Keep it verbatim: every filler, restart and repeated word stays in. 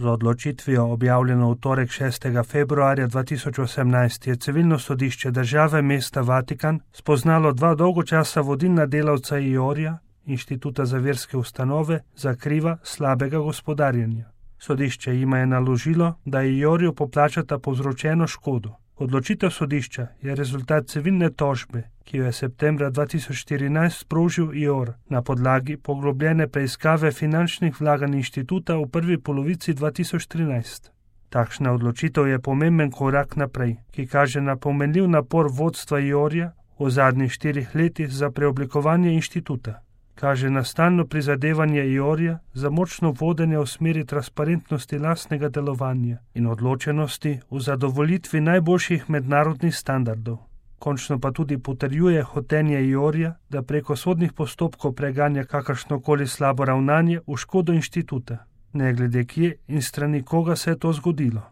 Z odločitvijo, objavljeno v torek šestega februarja dva tisoč osemnajst, je civilno sodišče države mesta Vatikan spoznalo dva dolgo časa vodilna delavca IORja, Inštituta za verske ustanove, za kriva slabega gospodarjenja. Sodišče jima je naložilo, da IORju poplačata povzročeno škodo. Odločitev sodišča je rezultat civilne tožbe, ki jo je septembra dva tisoč štirinajst sprožil IOR na podlagi poglobljene preiskave finančnih vlaganj inštituta v prvi polovici dva tisoč trinajst. Takšna odločitev je pomemben korak naprej, ki kaže na pomenljiv napor vodstva IORja v zadnjih štirih letih za preoblikovanje inštituta. Kaže na stalno prizadevanje IORja za močno vodenje v smeri transparentnosti lastnega delovanja in odločenosti v zadovoljitvi najboljših mednarodnih standardov. Končno pa tudi potrjuje hotenje IORja, da preko sodnih postopkov preganja kakršnokoli slabo ravnanje v škodo inštituta, ne glede kje in strani koga se je to zgodilo.